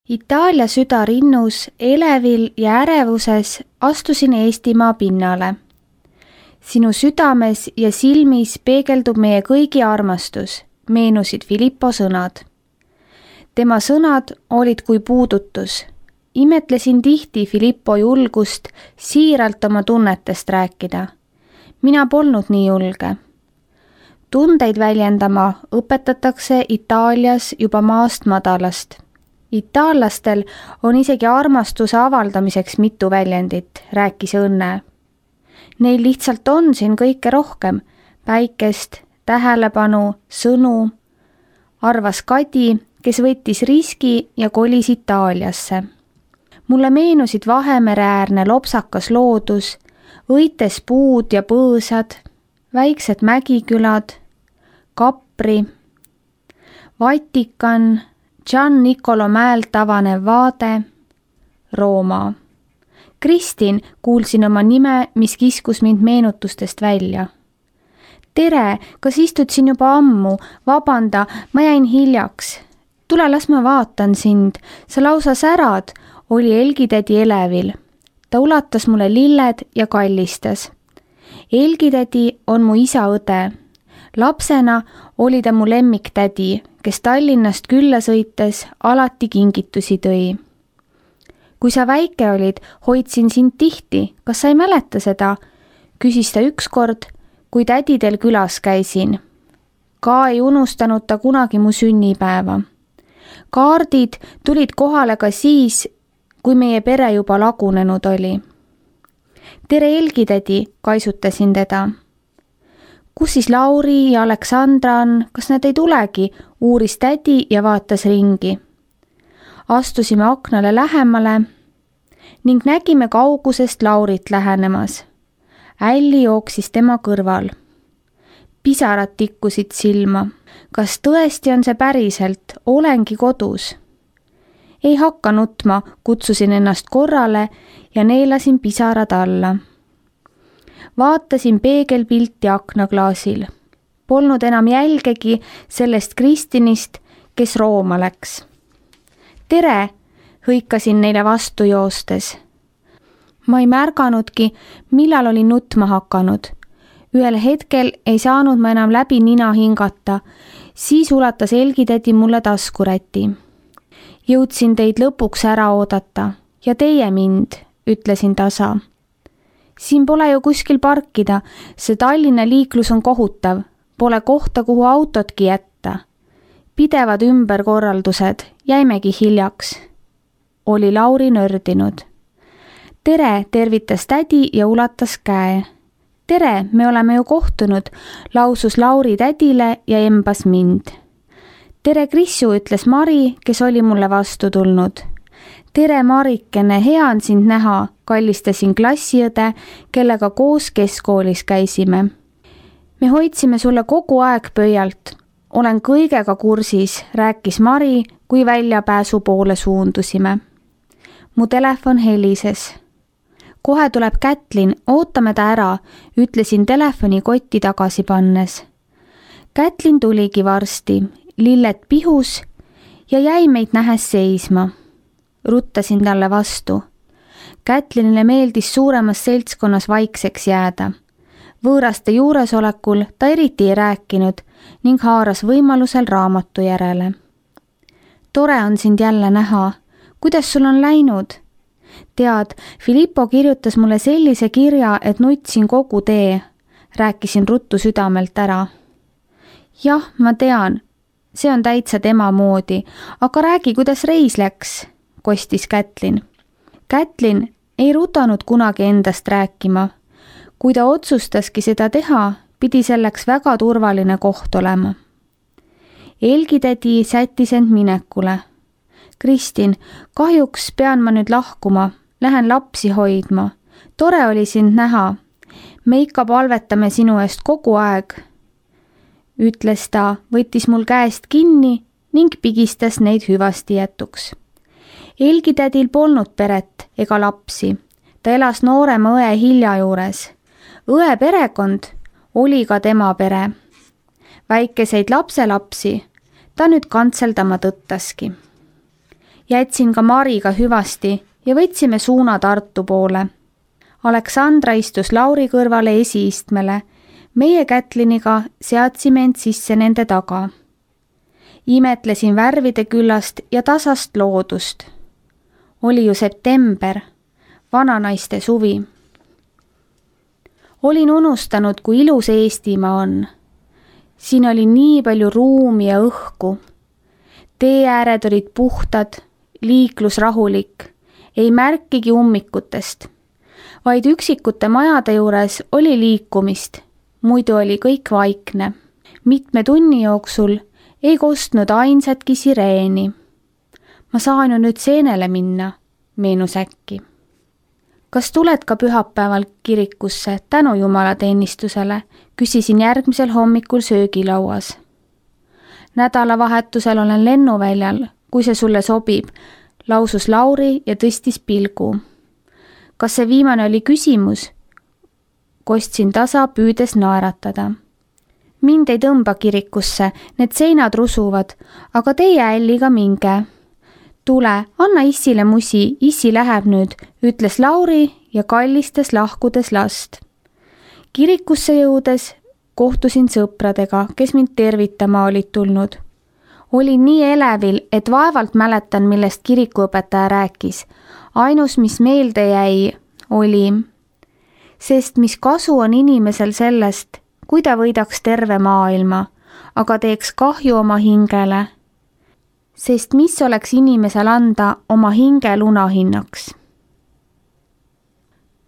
Itaalia süda rinnus, elevil ja ärevuses astusin Eestimaa pinnale. Sinu südames ja silmis peegeldub meie kõigi armastus, meenusid Filippo sõnad. Tema sõnad olid kui puudutus. Imetlesin tihti Filippo julgust siiralt oma tunnetest rääkida. Mina polnud nii julge. Tundeid väljendama õpetatakse Itaalias juba maast madalast. Itaallastel on isegi armastuse avaldamiseks mitu väljendit, rääkis Õnne. Neil lihtsalt on siin kõike rohkem, päikest, tähelepanu, sõnu, arvas Kadi, kes võttis riski ja kolis Itaaliasse. Mulle meenusid Vahemereäärne lopsakas loodus, õites puud ja põõsad, väiksed mägikülad, Kapri, Vatikan, Gian Nicolo mäelt avanev vaade, Rooma. Kristin, kuulsin oma nime, mis kiskus mind meenutustest välja. Tere, kas istud siin juba ammu? Vabanda, ma jäin hiljaks. Tule, las ma vaatan sind. Sa lausa särad, oli Elgitädi elevil. Ta ulatas mulle lilled ja kallistas. Elgitädi on mu isa õde. Lapsena oli ta mu lemmiktädi, kes Tallinnast külla sõites alati kingitusi tõi. Kui sa väike olid, hoidsin sind tihti. Kas sa ei mäleta seda? Küsis ta ükskord, kui tädidel külas käisin. Ka ei unustanud ta kunagi mu sünnipäeva. Kaardid tulid kohale ka siis, kui meie pere juba lagunenud oli. Tere Elgitädi, kaisutasin teda. Kus siis Lauri ja Aleksandra on? Kas nad ei tulegi? Uuris tädi ja vaatas ringi. Astusime aknale lähemale ning nägime kaugusest Laurit lähenemas. Älli jooksis tema kõrval. Pisarad tikkusid silma. Kas tõesti on see päriselt? Olengi kodus. Ei hakka nutma, kutsusin ennast korrale ja neelasin pisarad alla. Vaatasin peegelpilti aknaklaasil. Polnud enam jälgegi sellest Kristinist, kes Rooma läks. Tere, hõikasin neile vastu joostes. Ma ei märganudki, millal olin nutma hakanud. Ühel hetkel ei saanud ma enam läbi nina hingata, siis ulatas Elgitädi mulle taskuräti. Jõudsin teid lõpuks ära oodata ja teie mind, ütlesin tasa. Siin pole ju kuskil parkida, see Tallinna liiklus on kohutav, pole kohta, kuhu autotki jätta. Pidevad ümberkorraldused, jäimegi hiljaks. Oli Lauri nördinud. Tere, tervitas tädi ja ulatas käe. Tere, me oleme ju kohtunud, lausus Lauri tädile ja embas mind. Tere Krissu, ütles Mari, kes oli mulle vastu tulnud. Tere Marikene, hea on sind näha, kallistasin klassiõde, kellega koos keskkoolis käisime. Me hoidsime sulle kogu aeg pöialt. Olen kõigega kursis, rääkis Mari, kui väljapääsu poole suundusime. Mu telefon helises. Kohe tuleb Kätlin, ootame ta ära, ütlesin telefoni kotti tagasi pannes. Kätlin tuligi varsti, lilled pihus ja jäi meid nähes seisma. Ruttasin talle vastu. Kätlinile meeldis suuremas seltskonnas vaikseks jääda. Võõraste juuresolekul ta eriti ei rääkinud ning haaras võimalusel raamatu järele. Tore on sind jälle näha. Kuidas sul on läinud? Tead, Filippo kirjutas mulle sellise kirja, et nutsin kogu tee. Rääkisin ruttu südamelt ära. Jah, ma tean. See on täitsa tema moodi. Aga räägi, kuidas reis läks, kostis Kätlin. Kätlin ei rutanud kunagi endast rääkima. Kui ta otsustaski seda teha, pidi selleks väga turvaline koht olema. Elgitädi sättis end minekule. Kristin, kahjuks pean ma nüüd lahkuma. Lähen lapsi hoidma. Tore oli sind näha. Me ikka palvetame sinu eest kogu aeg, ütles ta, võttis mul käest kinni ning pigistas neid hüvasti jätuks. Elgitädil polnud peret ega lapsi. Ta elas noorema õe Hilja juures. Õe perekond oli ka tema pere. Väikeseid lapselapsi ta nüüd kantseldama tõttaski. Jätsin ka Mariga hüvasti ja võtsime suuna Tartu poole. Aleksandra istus Lauri kõrvale esiistmele. Meie Kätliniga seadsime end sisse nende taga. Imetlesin värvide küllast ja tasast loodust. Oli ju september, vananaiste suvi. Olin unustanud, kui ilus Eestimaa on. Siin oli nii palju ruumi ja õhku. Teeääred olid puhtad, liiklus rahulik, ei märkigi ummikutest. Vaid üksikute majade juures oli liikumist, muidu oli kõik vaikne. Mitme tunni jooksul ei kostnud ainsatki sireeni. Ma saan ju nüüd seenele minna, meenus äkki. Kas tuled ka pühapäeval kirikusse tänu jumalateenistusele, küsisin järgmisel hommikul söögilauas. Nädalavahetusel olen lennuväljal, kui see sulle sobib, lausus Lauri ja tõstis pilgu. Kas see viimane oli küsimus? Kostsin tasa, püüdes naeratada. Mind ei tõmba kirikusse, need seinad rusuvad, aga teie älliga minge. Tule, anna issile musi, issi läheb nüüd, ütles Lauri ja kallistas lahkudes last. Kirikusse jõudes kohtusin sõpradega, kes mind tervitama olid tulnud. Olin nii elevil, et vaevalt mäletan, millest kirikuõpetaja rääkis. Ainus, mis meelde jäi, oli, sest mis kasu on inimesel sellest, kui ta võidaks terve maailma, aga teeks kahju oma hingele. Sest mis oleks inimesel anda oma hinge lunahinnaks?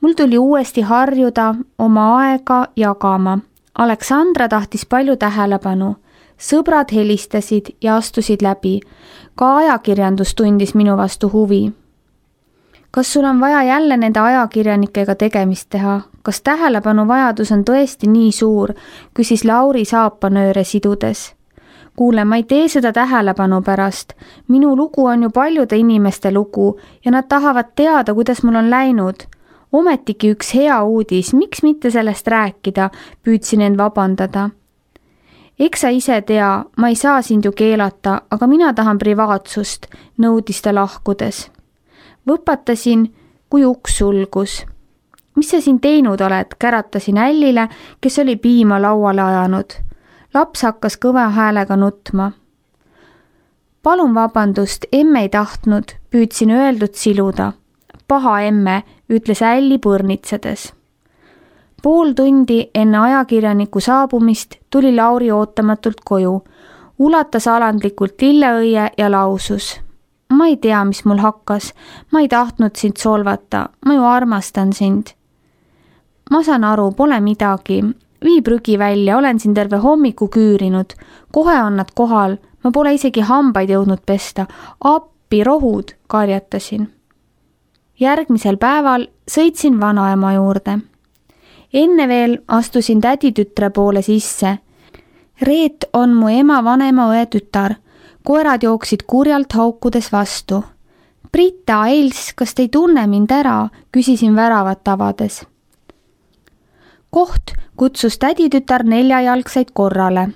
Mul tuli uuesti harjuda oma aega jagama. Aleksandra tahtis palju tähelepanu. Sõbrad helistasid ja astusid läbi. Ka ajakirjandus tundis minu vastu huvi. Kas sul on vaja jälle nende ajakirjanikega tegemist teha? Kas tähelepanu vajadus on tõesti nii suur, küsis Lauri saapanööre sidudes. Kuule, ma ei tee seda tähelepanu pärast. Minu lugu on ju paljude inimeste lugu ja nad tahavad teada, kuidas mul on läinud. Ometigi üks hea uudis, miks mitte sellest rääkida, püüdsin end vabandada. Eks sa ise tea, ma ei saa sind ju keelata, aga mina tahan privaatsust, nõudis ta lahkudes. Võpatasin, kui uks sulgus. Mis sa siin teinud oled, käratasin Ällile, kes oli piima lauale ajanud. Laps hakkas kõva häälega nutma. Palun vabandust, emme ei tahtnud, püüdsin öeldud siluda. Paha emme, ütles Älli põrnitsedes. Pool tundi enne ajakirjaniku saabumist tuli Lauri ootamatult koju, ulatas alandlikult lilleõie ja lausus. Ma ei tea, mis mul hakkas, ma ei tahtnud sind solvata, ma ju armastan sind. Ma saan aru, pole midagi. Vii prügi välja, olen siin terve hommiku küürinud. Kohe on nad kohal, ma pole isegi hambaid jõudnud pesta. Appi, rohud, karjatasin. Järgmisel päeval sõitsin vanaema juurde. Enne veel astusin täditütre poole sisse. Reet on mu ema vanema õe tütar. Koerad jooksid kurjalt haukudes vastu. Britta, Els, kas te ei tunne mind ära? Küsisin väravat avades. Koht kutsus täditütar neljajalgseid korrale.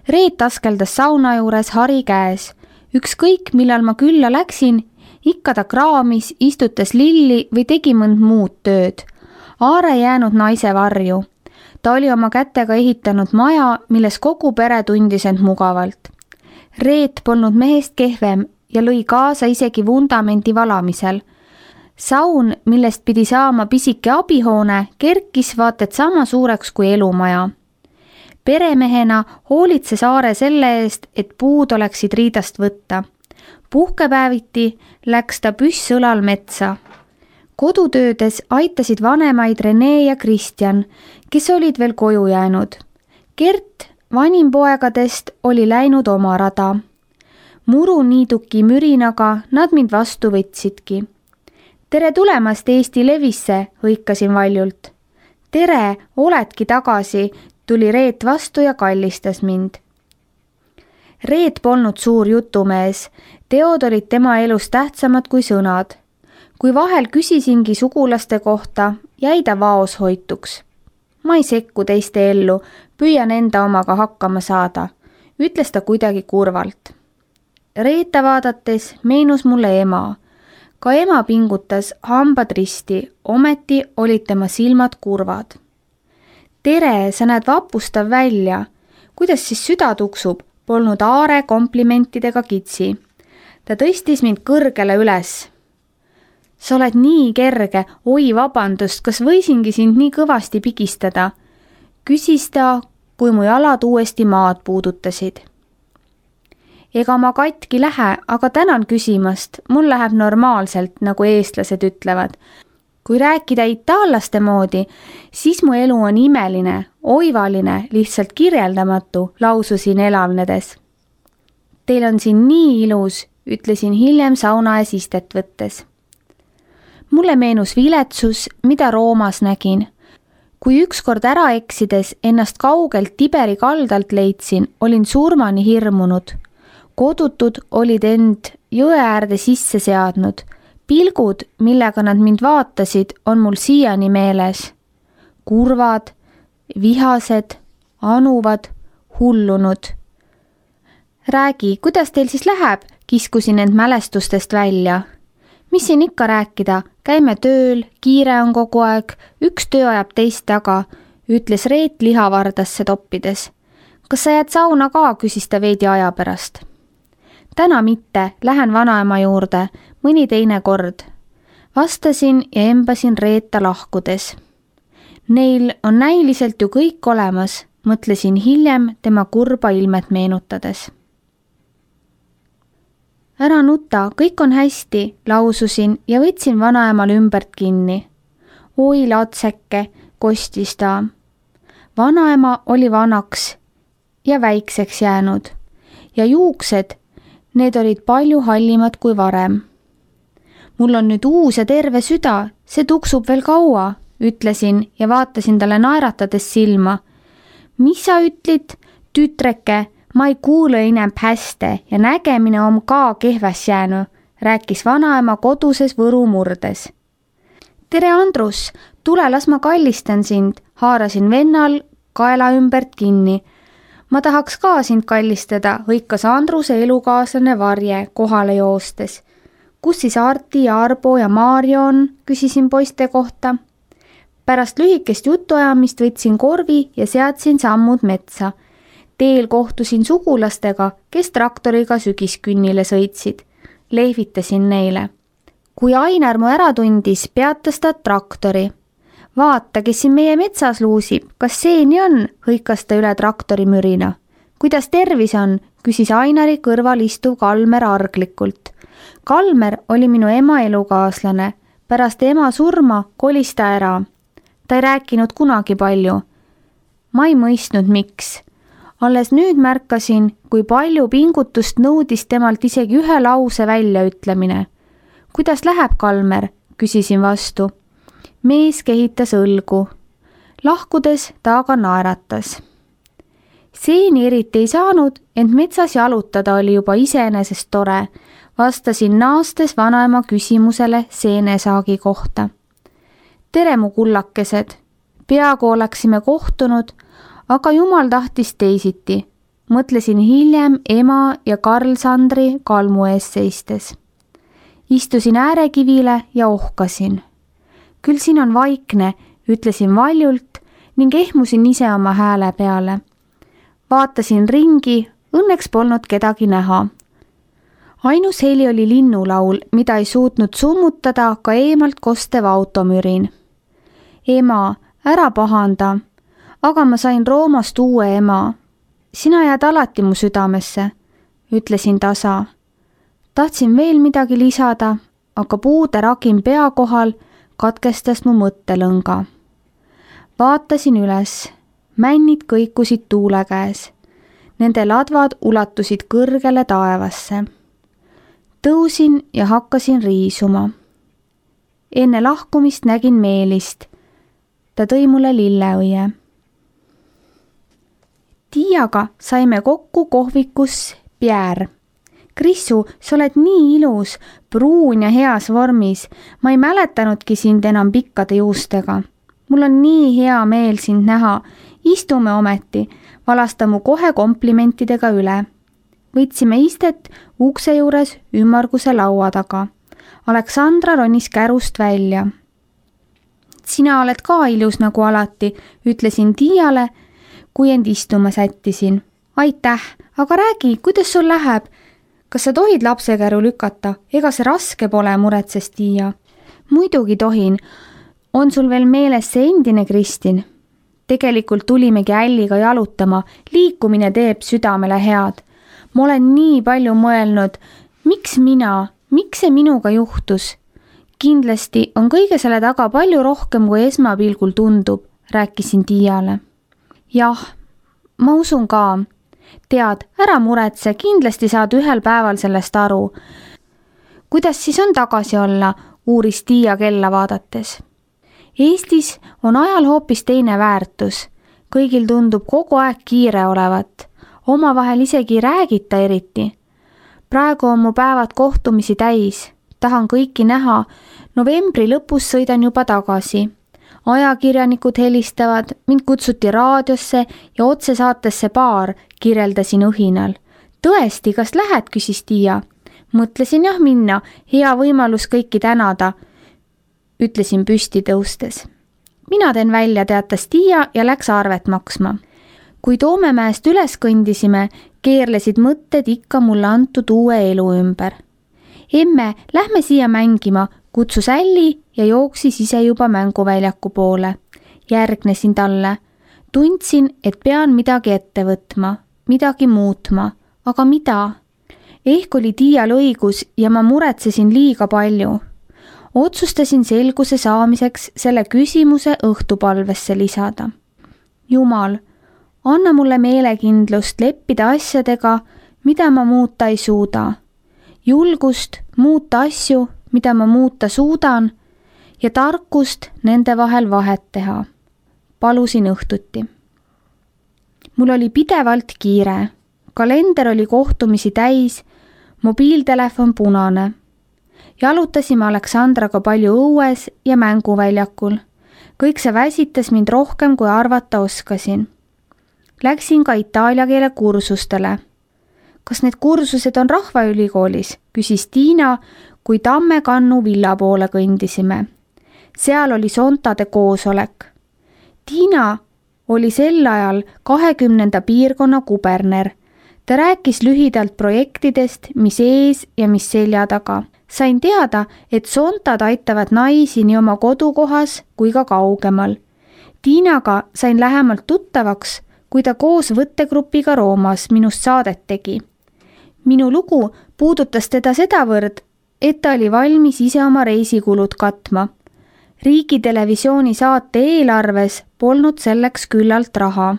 Reet askeldas sauna juures hari käes. Ükskõik, millal ma külla läksin, ikka ta kraamis, istutas lilli või tegi mõnd muud tööd. Aare jäänud naise varju. Ta oli oma kätega ehitanud maja, milles kogu pere tundis end mugavalt. Reet polnud mehest kehvem ja lõi kaasa isegi vundamendi valamisel. Saun, millest pidi saama pisike abihoone, kerkis vaat et sama suureks kui elumaja. Peremehena hoolitses Aare selle eest, et puud oleksid riidast võtta. Puhkepäeviti läks ta püss õlal metsa. Kodutöödes aitasid vanemaid Rene ja Kristjan, kes olid veel koju jäänud. Gert, vanim poegadest, oli läinud oma rada. Muruniiduki mürinaga nad mind vastu võtsidki. Tere tulemast Eesti Levisse, hõikasin valjult. Tere, oledki tagasi, tuli Reet vastu ja kallistas mind. Reet polnud suur jutumees, teod olid tema elus tähtsamad kui sõnad. Kui vahel küsisingi sugulaste kohta, jäi ta vaos hoituks. Ma ei sekku teiste ellu, püüan enda omaga hakkama saada, ütles ta kuidagi kurvalt. Reeta vaadates meenus mulle ema. Ka ema pingutas hambad risti, ometi olid tema silmad kurvad. Tere, sa näed vapustav välja. Kuidas siis süda tuksub? Polnud Aare komplimentidega kitsi. Ta tõstis mind kõrgele üles. Sa oled nii kerge, oi vabandust, kas võisingi sind nii kõvasti pigistada? Küsis ta, kui mu jalad uuesti maad puudutasid. Ega ma katki lähe, aga tänan küsimast, mul läheb normaalselt, nagu eestlased ütlevad. Kui rääkida itaallaste moodi, siis mu elu on imeline, oivaline, lihtsalt kirjeldamatu, laususin elavnedes. Teil on siin nii ilus, ütlesin hiljem sauna ees istet võttes. Mulle meenus viletsus, mida Roomas nägin. Kui ükskord ära eksides ennast kaugelt Tiberi kaldalt leidsin, olin surmani hirmunud. Kodutud olid end jõe äärde sisse seadnud. Pilgud, millega nad mind vaatasid, on mul siiani meeles. Kurvad, vihased, anuvad, hullunud. Räägi, kuidas teil siis läheb? Kiskusin end mälestustest välja. Mis siin ikka rääkida? Käime tööl, kiire on kogu aeg, üks töö ajab teist taga, ütles Reet lihavardasse toppides. Kas sa jääd sauna ka, küsis ta veidi aja pärast. Täna mitte, lähen vanaema juurde, mõni teine kord. Vastasin ja embasin Reeta lahkudes. Neil on näiliselt ju kõik olemas, mõtlesin hiljem tema kurba ilmet meenutades. Ära nuta, kõik on hästi, laususin ja võtsin vanaemal ümbert kinni. Oi latseke, kostis ta. Vanaema oli vanaks ja väikseks jäänud ja juuksed, need olid palju hallimad kui varem. Mul on nüüd uus ja terve süda, see tuksub veel kaua, ütlesin ja vaatasin talle naeratades silma. Mis sa ütlid, tütreke? Ma ei kuule enam hästi ja nägemine on ka kehvas jäänud, rääkis vanaema koduses Võru murdes. Tere Andrus, tule las ma kallistan sind, haarasin vennal kaela ümbert kinni. Ma tahaks ka sind kallistada, hõikas Andruse elukaaslane Varje kohale joostes. Kus siis Arti ja Arbo ja Maarjo on, küsisin poiste kohta. Pärast lühikest jutuajamist võtsin korvi ja seadsin sammud metsa. Teel kohtusin sugulastega, kes traktoriga sügiskünnile sõitsid. Lehvitasin neile. Kui Ainar mu ära tundis, peatas ta traktori. Vaata, kes siin meie metsas luusib, kas see nii on, hõikas ta üle traktori mürina. Kuidas tervis on, küsis Ainari kõrval istuv Kalmer arglikult. Kalmer oli minu ema elukaaslane. Pärast ema surma kolis ta ära. Ta ei rääkinud kunagi palju. Ma ei mõistnud, miks. Alles nüüd märkasin, kui palju pingutust nõudis temalt isegi ühe lause väljaütlemine. Kuidas läheb, Kalmer? Küsisin vastu. Mees kehitas õlgu. Lahkudes ta aga naeratas. Seeni eriti ei saanud, ent metsas jalutada oli juba iseenesest tore. Vastasin naastes vanaema küsimusele seenesaagi kohta. Tere mu kullakesed. Peaaegu oleksime kohtunud, aga jumal tahtis teisiti. Mõtlesin hiljem ema ja Karl Sandri kalmu ees seistes. Istusin äärekivile ja ohkasin. Küll siin on vaikne, ütlesin valjult ning ehmusin ise oma hääle peale. Vaatasin ringi, õnneks polnud kedagi näha. Ainus heli oli linnulaul, mida ei suutnud summutada ka eemalt kostev automürin. Ema, ära pahanda. Aga ma sain Roomast uue ema. Sina jääd alati mu südamesse, ütlesin tasa. Tahtsin veel midagi lisada, aga puude ragin pea kohal katkestas mu mõttelõnga. Vaatasin üles. Männid kõikusid tuule käes. Nende ladvad ulatusid kõrgele taevasse. Tõusin ja hakkasin riisuma. Enne lahkumist nägin Meelist. Ta tõi mulle lilleõie. Tiiaga saime kokku kohvikus Pierre. Krissu, sa oled nii ilus, pruun ja heas vormis. Ma ei mäletanudki sind enam pikkade juustega. Mul on nii hea meel sind näha. Istume ometi, valasta mu kohe komplimentidega üle. võtsime istet ukse juures ümmarguse laua taga. Aleksandra ronis kärust välja. Sina oled ka ilus nagu alati, ütlesin Tiiale, kui end istuma sättisin. Aitäh, aga räägi, kuidas sul läheb? Kas sa tohid lapsekäru lükata? Ega see raske pole, muretses Tiia. Muidugi tohin. On sul veel meeles see endine Kristin? Tegelikult tulimegi Älliga jalutama. Liikumine teeb südamele head. Ma olen nii palju mõelnud, miks mina, miks see minuga juhtus? Kindlasti on kõige selle taga palju rohkem, kui esmapilgul tundub, rääkisin Tiiale. Jah, ma usun ka. Tead, ära muretse, kindlasti saad ühel päeval sellest aru. Kuidas siis on tagasi olla, uuris Tiia kella vaadates. Eestis on ajal hoopis teine väärtus. Kõigil tundub kogu aeg kiire olevat. Omavahel isegi ei räägita eriti. Praegu on mu päevad kohtumisi täis. Tahan kõiki näha. Novembri lõpus sõidan juba tagasi. Ajakirjanikud helistavad, mind kutsuti raadiosse ja otsesaatesse Paar, kirjeldasin õhinal. Tõesti, kas lähed, küsis Tiia. Mõtlesin jah minna, hea võimalus kõiki tänada, ütlesin püsti tõustes. Mina teen välja, teatas Tiia ja läks arvet maksma. Kui Toomemäest üles kõndisime, keerlesid mõtted ikka mulle antud uue elu ümber. Emme, lähme siia mängima, kutsus Älli ja jooksis ise juba mänguväljaku poole. Järgnesin talle. Tundsin, et pean midagi ette võtma, midagi muutma, aga mida? Ehk oli Tiial õigus ja ma muretsesin liiga palju. Otsustasin selguse saamiseks selle küsimuse õhtupalvesse lisada. Jumal, anna mulle meelekindlust leppida asjadega, mida ma muuta ei suuda. Julgust muuta asju, mida ma muuta suudan ja tarkust nende vahel vahet teha. Palusin õhtuti. Mul oli pidevalt kiire. Kalender oli kohtumisi täis, mobiiltelefon punane. Jalutasime Aleksandraga palju õues ja mänguväljakul. Kõik see väsitas mind rohkem, kui arvata oskasin. Läksin ka itaalia keele kursustele. Kas need kursused on Rahvaülikoolis, küsis Tiina, kui Tammekannu villa poole kõndisime. Seal oli Sontade koosolek. Tiina oli sel ajal 20. piirkonna kuberner. Ta rääkis lühidalt projektidest, mis ees ja mis selja taga. Sain teada, et Sontad aitavad naisi nii oma kodukohas kui ka kaugemal. Tiinaga sain lähemalt tuttavaks, kui ta koos võttegrupiga Roomas minust saadet tegi. Minu lugu puudutas teda sedavõrd, et ta oli valmis ise oma reisikulud katma. Riigitelevisiooni saate eelarves polnud selleks küllalt raha.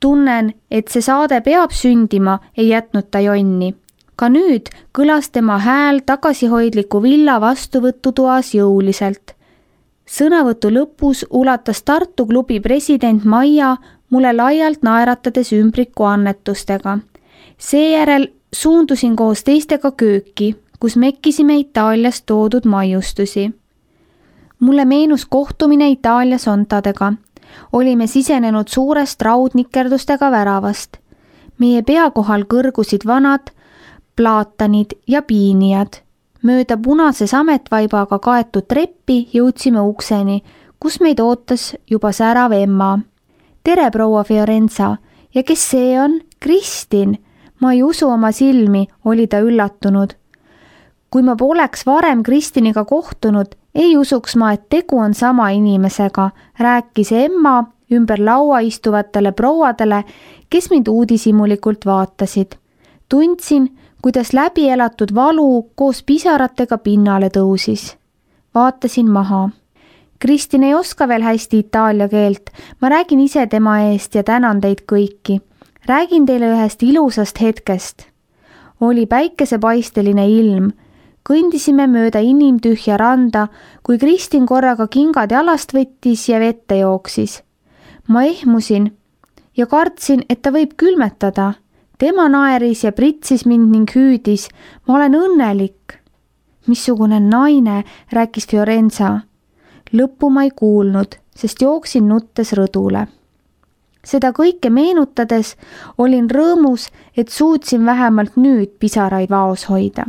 Tunnen, et see saade peab sündima, ei jätnud ta jonni. Ka nüüd kõlas tema hääl tagasihoidliku villa vastuvõtutoas jõuliselt. Sõnavõtu lõpus ulatas Tartu klubi president Maia mulle laialt naeratades ümbriku annetustega. Seejärel suundusin koos teistega kööki, kus mekkisime Itaaliast toodud maiustusi. Mulle meenus kohtumine Itaalia Sontadega. Olime sisenenud suurest raudnikerdustega väravast. Meie pea kohal kõrgusid vanad plaatanid ja piinijad. Mööda punase sametvaibaga kaetud treppi jõudsime ukseni, kus meid ootas juba särav Emma. Tere, proua Fiorenza. Ja kes see on? Kristin. Ma ei usu oma silmi, oli ta üllatunud. Kui ma poleks varem Kristiniga kohtunud, ei usuks ma, et tegu on sama inimesega, rääkis Emma ümber laua istuvatele prouadele, kes mind uudishimulikult vaatasid. Tundsin, kuidas läbi elatud valu koos pisaratega pinnale tõusis. Vaatasin maha. Kristin ei oska veel hästi itaalia keelt. Ma räägin ise tema eest ja tänan teid kõiki. Räägin teile ühest ilusast hetkest. Oli päikesepaisteline ilm. Kõndisime mööda inimtühja randa, kui Kristin korraga kingad jalast võttis ja vette jooksis. Ma ehmusin ja kartsin, et ta võib külmetada. Tema naeris ja pritsis mind ning hüüdis. Ma olen õnnelik. Missugune naine, rääkis Fiorenza. Lõppu ma ei kuulnud, sest jooksin nuttes rõdule. Seda kõike meenutades olin rõõmus, et suutsin vähemalt nüüd pisaraid vaos hoida.